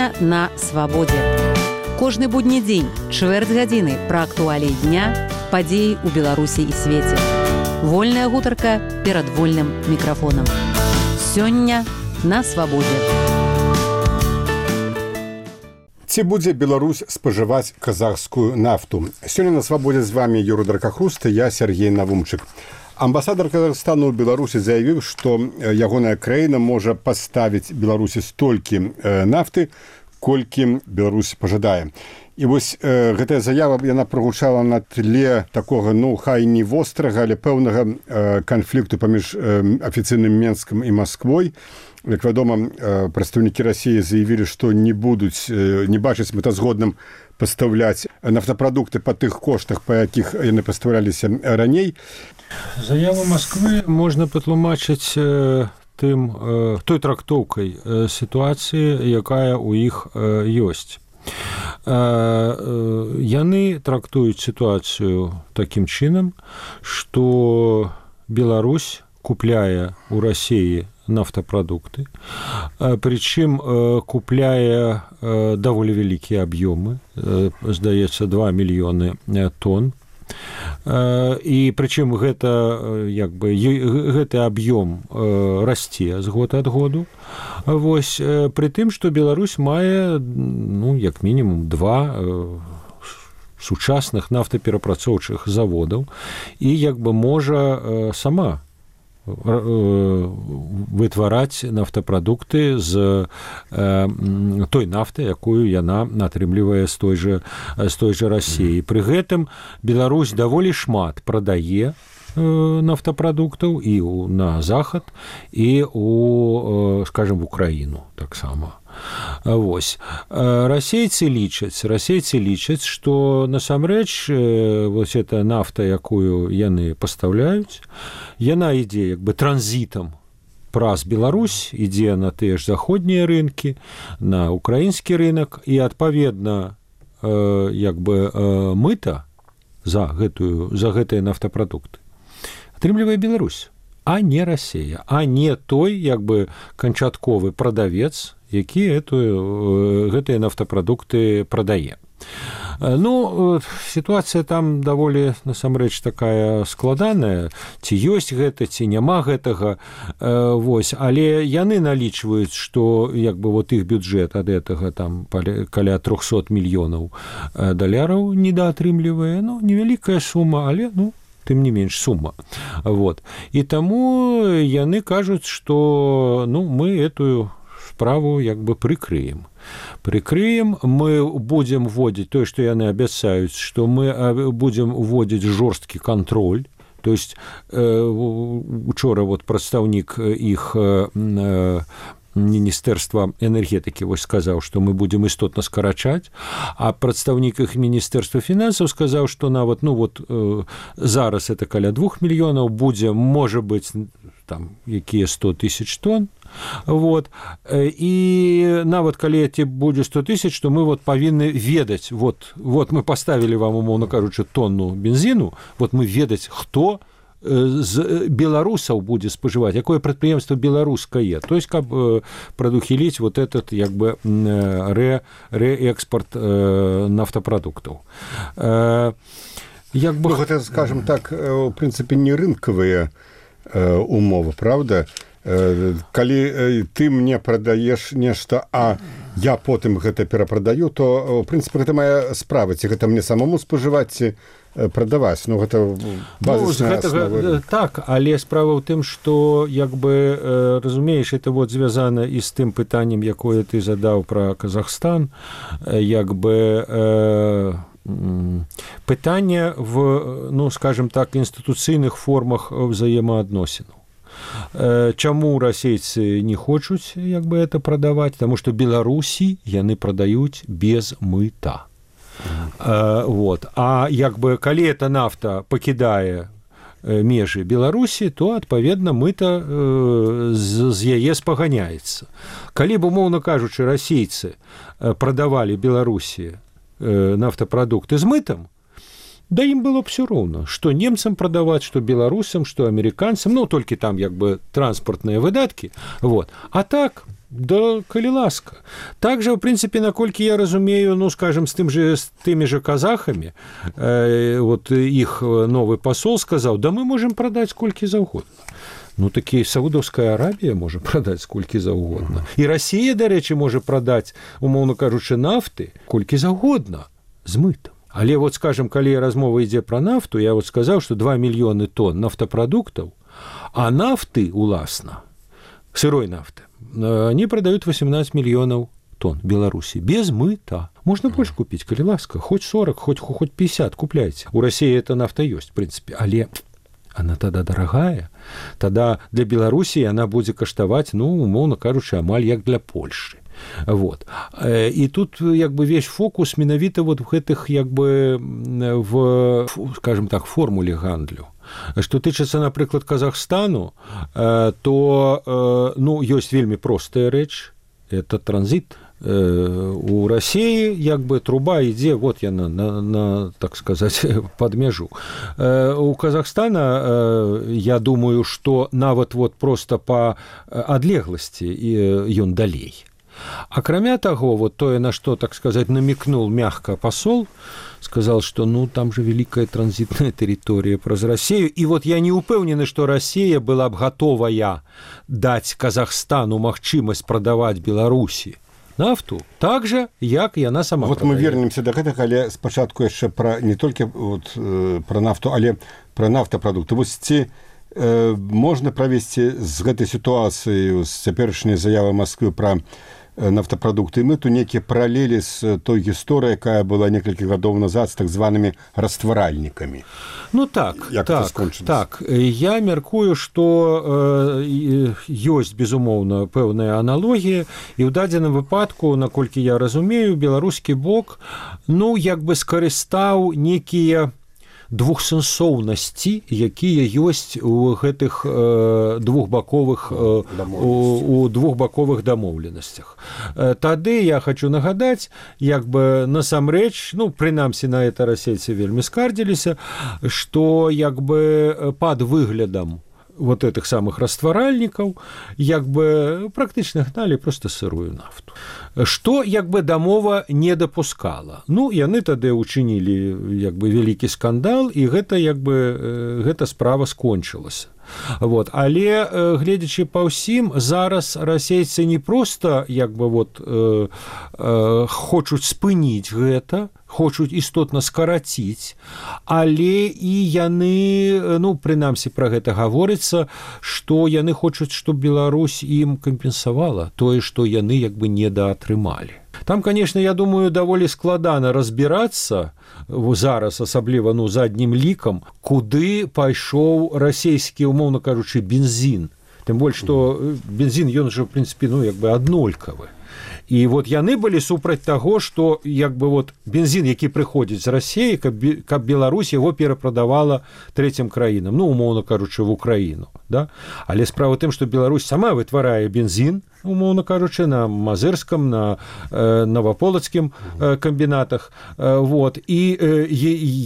Сёння на свабодзе. Кожны будні дзень, чвэрць гадзіны пра актуаліі дня, падзеі ў Беларусі і свеце. Вольная гутарка перад вольным мікрафонам. Сёння на свабодзе. Ці будзе Беларусь спажываць казахскую нафту? Сёння на свабодзе з вами Юрий Дракахруст, я Сергей Навумчык. Амбасадар Казахстану ў Беларусі заявіў, што ягоная краіна можа паставіць Беларусі столькі нафты, колькі Беларусь пажадае. І вось гэтая заява яна прагучала на тле такога, хай не вострага, але пэўнага канфлікту паміж афіцыйным Менскам і Масквой. Як вядома, прадстаўнікі Расіі заявілі, што не бачаць мэтазгодным пастаўляць нафтапрадукты па тых коштах, па якіх яны пастаўляліся раней. Заяву Масквы можна патлумачыць той трактоўкай сітуацыі, якая ў іх ёсць. Яны трактуюць сітуацыю такім чынам, што Беларусь купляе ў Расіі нафтапрадукты, прычым купляе даволі вялікія аб'ёмы, здаецца, 2 мільёны тонн. І прычым гэты аб'ём расце з года ад году. Вось, пры тым, што Беларусь мае, як мінімум 2 сучасных нафтаперапрацоўчых заводаў і можа сама вытвараць нафтапрадукты з той нафты, якую яна атрымлівае з той жа Расіі. Пры гэтым Беларусь даволі шмат прадае нафтапрадуктаў і на захад, і скажем, в Украіну таксама. Вось. Расейцы лічаць, што насамрэч вось эта нафта, якую яны пастаўляюць, яна ідзе транзітам праз Беларусь, ідзе на тыя ж заходнія рынкі, на украінскі рынак, і адпаведна мыта за гэтыя нафтапрадукты атрымлівае Беларусь, а не Расія, а не той канчатковы прадавец, які гэтыя нафтапрадукты прадае. Сітуацыя там даволі, насамрэч, такая складаная, ці ёсць гэта, ці няма гэтага, але яны налічваюць, што іх бюджэт ад гэтага каля 300 мільёнаў даляраў недаатрымлівае, невялікая сума, але, тым не менш сума. І таму яны кажуць, што мы эту справу прыкрыем. Мы будзем вводзіць тое, што яны абяцаюць, што мы будзем вводзіць жорсткі кантроль. То есть учора прадстаўнік іх Міністэрства энергетыкі сказаў, што мы будзем істотна скарачаць, а прадстаўнік іх Міністэрства фінансаў сказаў, што нават зараз это каля 2 мільёнаў будзе, можа быць, якія 100 000 тонн. І нават калі будзе 100 000, то мы павінны ведаць, мы паставілі вам, умоўна кажучы, тонну бензіну, мы ведаць, хто з беларусаў будзе спажываць, якое прадпрыемства беларускае, то есть каб прадухіліць этот рээкспорт нафтапрадуктаў. Гэта, скажем так, у прынцыпе, не рынкавыя умовы, правда? Калі ты мне прадаеш нешта, а я потым гэта перапрадаю, то, в прынцыпе, гэта моя справа, ці гэта мне самому спажываць, ці прадаваць. Гэта базісная аснова. Так, але справа ў тым, што, разумееш, это звязана і з тым пытаннем, якое ты задаў пра Казахстан, пытанне в, скажем так, інстытуцыйных формах взаемаадносінаў. Чаму расейцы не хочуць это прадаваць? Таму што Беларусі яны прадаюць без мыта. А калі эта нафта пакідае межы Беларусі, то адпаведна мыта з яе спаганяецца. Калі б, умоўна кажучы, расейцы прадавалі Беларусі нафтапрадукты з мытам, да ім было б все роўна, што немцам прадаваць, што беларусам, што амерыканцам, ну, толькі там як бы транспартныя выдаткі, вот. А так, да, калі ласка. Также, в прынцыпе, наколькі я разумею, ну, скажем, з тымі же казахамі, вот іх новы пасол сказаў, да мы можем прадаць колькі заўгодна. Ну, такі Саудаўская Арабія можа прадаць колькі заўгодна. І Расія, дарэчы, можа прадаць, умоўна кажучы, нафты колькі заўгодна з мытам. Але вот, скажем, калі размова ідзе пра нафту, я вот сказаў, што 2 мільёны тонн нафтапрадуктаў, а нафты, уласна, сырой нафты, они продают 18 миллионов тонн Беларуси без мыта. Можно больше купить, коли ласка, хоть 40, хоть 50 купляйте. У России эта нафта есть, в принципе, але она тогда дорогая. Тогда для Беларуси она будет каштовать, ну, умовно кажучи, амаль як для Польши. Вот. І тут як бы весь фокус менавіта вот в гэтых як бы в, скажем так, формуле гандлю. Што тычыцца, напрыклад, Казахстану, то ну, ёсць вельмі простая рэч, это транзит. У России як бы труба ідзе, вот яна на, так сказать, под мяжу. У Казахстана, я думаю, што нават вот просто по адлегласці ён далей. Акрамя таго, вот тое, на што, так сказать, намекнул мягко посол, сказал, что ну там же великая транзитная территория праз Россию, и вот я не упэўнены, что Россия была б готовая дать Казахстану магчымасць прадаваць Беларусі нафту так же, як яна сама вот прадае. Мы вернемся до гэтага, але спачатку яшчэ пра не толькі вот, пра нафту, але пра нафтапрадукты. Вось ці можна правесці з гэтай сітуацыі, з цяперашняй заявы Масквы пра нафтапрадукты, мы тут некія паралелі з той гісторыяй, якая была некалькі гадоў назад з так званымі растваральнікамі. Ну так, так. Я мяркую, што ёсць, безумоўна, пэўная аналогія, і ў дадзеным выпадку, наколькі я разумею, беларускі бок, ну, як бы скарыстаў некія двухсэнсоўнасці, якія ёсць у гэтых двухбаковых дамоўленасцях. Тады я хочу нагадаць, як бы насамрэч, ну, прынамсі на это расейцы вельмі скардзіліся, што як бы пад выглядам вот этих самых растваральнікаў як бы практычна гналі просто сырую нафту. Што як бы дамова не дапускала. Ну, яны тады учынілі як бы вялікі скандал, і гэта як бы гэта справа скончылася. Вот. Але, гледзячы па ўсім, зараз расейцы не проста як бы вот хочуць спыніць гэта, хочуць істотна скараціць, але і яны, ну, прынамсі пра гэта гаворыцца, што яны хочуць, щоб Беларусь ім кампенсавала тое, што яны як бы недаатрымалі. Там, конечно, я думаю, даволі складана разбірацца зараз, асабліва, ну, заднім лікам, куды пайшоў расійскі, умоўна кажучы, бензін. Тым больш, што бензін, ён жа, в прынцыпе, ну, як бы аднолькавы. І вот яны былі супраць таго, што як бы вот бензін, які прыходзіць з Расіі, каб Беларусь яго перапрадавала трэцім краінам, ну, умоўна кажучы, в Украіну. Да? Але справа тым, што Беларусь сама вытварае бензін, умоўна кажучы, на Мазырском, на Новополацкім камбінатах, вот, і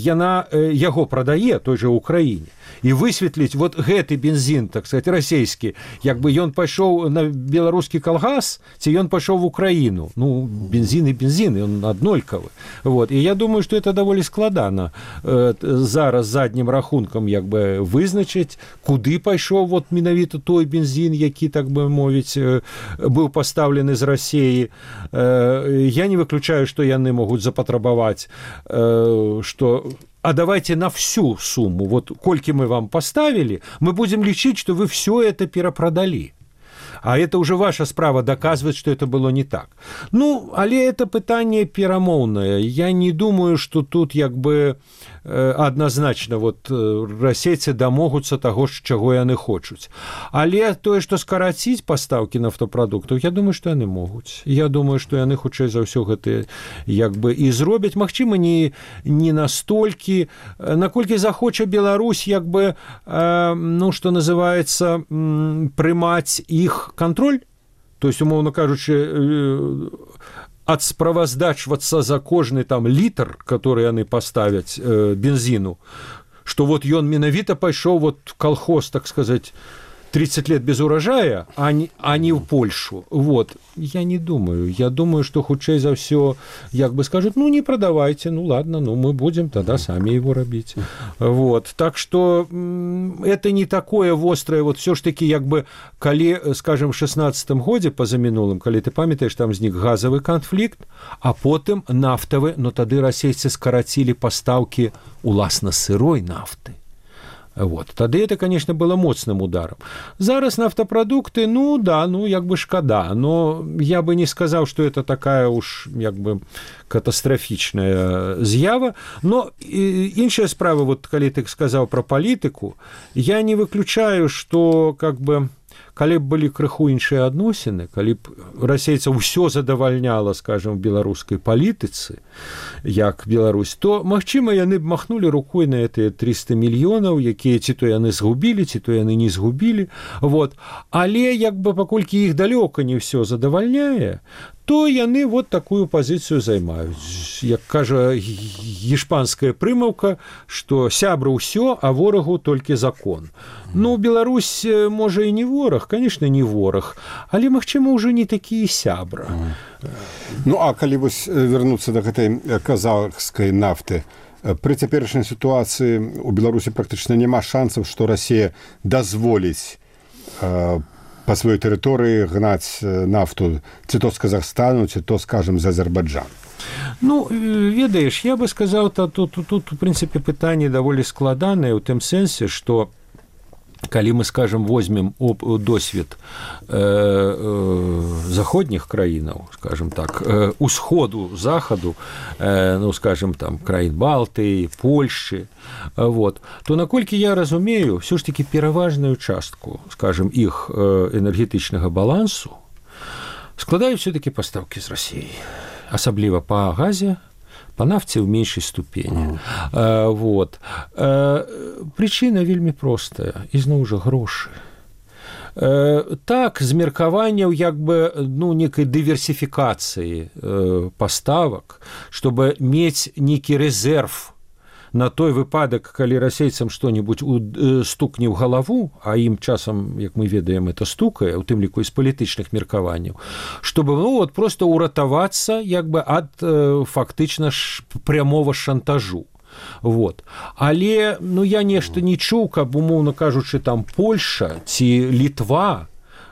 яна яго прадае той жа Украіне. І высветліць вот гэты бензін, так сказать, расійскі, як бы ён пайшоў на беларускі калгас, ці ён пайшоў в Украіну. Ну, бензін і бензін, ён аднолькавы. Вот. І я думаю, што это даволі складана зараз заднім рахункам як бы вызначыць, куды пайшоў вот менавіта той бензін, які, так бы мовіць, быў пастаўлены з Расіі. Я не выключаю, што яны могуць запатрабаваць, што а давайте на всю сумму, вот кольки мы вам поставили, мы будем лечить, что вы все это перепродали. А это уже ваша справа доказывать, что это было не так. Ну, але это пытанне перамоўнае. Я не думаю, что тут як бы адназначна вот расейцы дамогуцца таго, чаго яны хочуць. Але тое, што скараціць пастаўкі нафтапрадуктаў, я думаю, што яны могуць. Я думаю, што яны хутчэй за ўсё гэта як бы і зробяць. Магчыма, не настолькі, наколькі захоча Беларусь як бы, ну, што называецца, прымаць іх контроль, то есть, умоўно кажучы, адсправаздачвацца за кожны там літр, который яны паставяць бензіну, што вот ён менавіта пайшоў вот колхоз, так сказать, 30 лет без урожая, а не в Польшу. Вот. Я не думаю. Я думаю, что хутчэй за все, як бы скажут, ну, не продавайте, ну, ладно, ну, мы будем тогда сами его робить. Вот. Так что это не такое вострое, вот все ж таки, як бы, калі, скажем, в 16-м годзе, позамінулым, калі ты памятаеш, там знік газовый конфликт, а потым нафтавы, но тады расейцы скарацілі пастаўкі уласна сырой нафты. Вот. Тады это, конечно, было моцным ударом. Зараз нафтопродукты, ну да, ну як бы шкада, но я бы не сказал, что это такая уж як бы катастрофічная з'ява. Но іншая справа, вот калі ты сказал про политику, я не выключаю, что как бы калі б былі крыху іншыя адносіны, калі б расейцаў усё задавальняла, скажем, в беларускай палітыцы, як Беларусь, то, магчыма, яны б махнулі рукой на гэтыя 300 мільёнаў, якія ці то яны згубілі, ці то яны не згубілі. Вот. Але, як бы, паколькі іх далёка не ўсё задавальняе, то яны вот такую пазіцыю займаюць. Як кажа іспанская прымаўка, што сябра ўсё, а ворагу толькі закон. Ну, Беларусь, можа, і не вораг, конечно, не вораг, але, магчыма, ўжо не такі сябра. Ну, а калі вось вярнуцца да гэтай казахскай нафты, пры цяперашняй сітуацыі у Беларусі практычна няма шансаў, што Расія дазволіць па сваёй тэрыторыі гнаць нафту ці то з Казахстану, ці то, скажем, з Азербайджану. Ну, ведаеш, я бы сказаў, тут в прынцыпе, пытанне даволі складанае ў тым сэнсе, што калі мы, скажем, возьмем досвед заходніх краінаў, скажем так, усходу, захаду, ну, скажем, там, краін Балтыі, Польшчы, вот, то, наколькі я разумею, все ж таки пераважную частку, скажем, іх энергетычнага балансу складаюць все-таки пастаўкі з Расіі, асабліва па газе, по нафте в меньшей ступені. Вот. Причина вельмі простая. Ізноў жа грошы. Так, з меркаванняў як бы, ну, некай дыверсіфікацыі паставак, чтобы мець некі рэзерв на той выпадак, калі расейцам што-небудзь стукне ў галаву, а ім часам, як мы ведаем, это стукае, у тым ліку з палітычных меркаванняў, чтобы, ну, вот просто уратавацца як бы ад фактычна прямого шантажу. Вот. Але, ну, я нешта не чуў, каб, умоўна кажучы, там Польша ці Літва,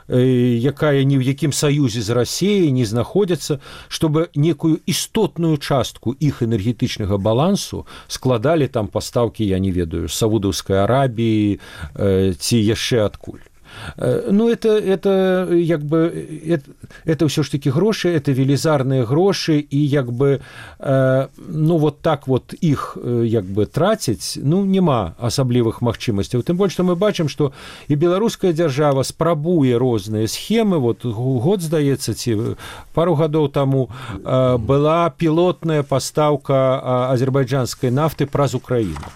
якая ні ў якім саюзе з Расіяй не знаходзяцца, чтобы некую істотную частку іх энергетычнага балансу складалі там пастаўкі, я не ведаю, з Саудаўскай Арабіі ці яшчэ адкуль. Ну, это як бы, это все ж таки гроши, это велизарные гроши, и як бы, ну, вот так вот их як бы тратить, ну, нема асаблівых магчымасцяў. Тым больш, што мы бачым, што і беларуская дзяржава спрабуе розныя схемы. Вот год, здаецца, ці пару гадоў таму была пілотная пастаўка азербайджанскай нафты праз Украіну.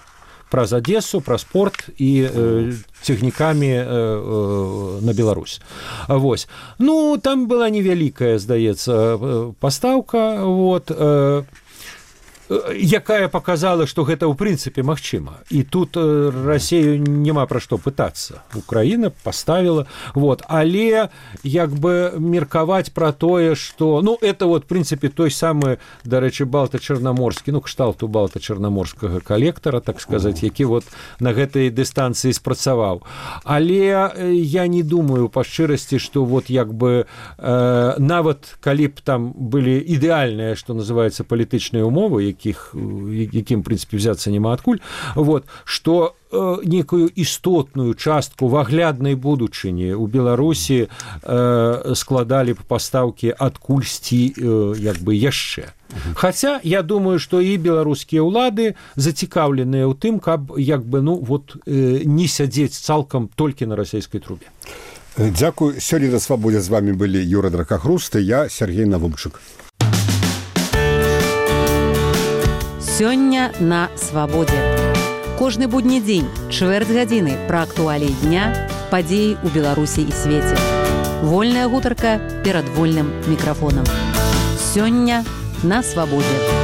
Праз Одессу, праз порт і цягнікамі на Беларусь. Вось. Ну, там была невялікая, здаецца, пастаўка, вот, якая показала, што гэта ў прынцыпе магчыма. І тут Расію няма пра што пытацца. Украіна паставіла, вот, але як бы меркаваць пра тое, што, ну, это вот, в прынцыпе, той самы, дарэчы, балта-чарнаморскі, ну, кшталту балта-чарнаморскага калектара, так сказаць, які вот на гэтай дыстанцыі спрацаваў. Але я не думаю па шчырасці, што вот як бы нават калі б там былі ідэальныя, што называецца, палітычныя умовы, якім, в прынцыпе, взяцца няма адкуль, вот, што некую істотную частку в агляднай будучыні ў Беларусі складалі б пастаўкі адкульсьці як бы яшчэ. Хаця, я думаю, што і беларускія ўлады зацікаўленыя ў тым, каб як бы, ну, вот, не сядзець цалкам толькі на расійскай трубе. Дзякуй. Сёння на Свабодзе з вами былі Юра Дракахруст і я, Сергей Навумчык. Сёння на Свабодзе. Кожны будні дзень, чвэрць гадзіны пра актуаліі дня, падзеі ў Беларусі і свеце. Вольная гутарка перад вольным мікрафонам. Сёння на свабодзе.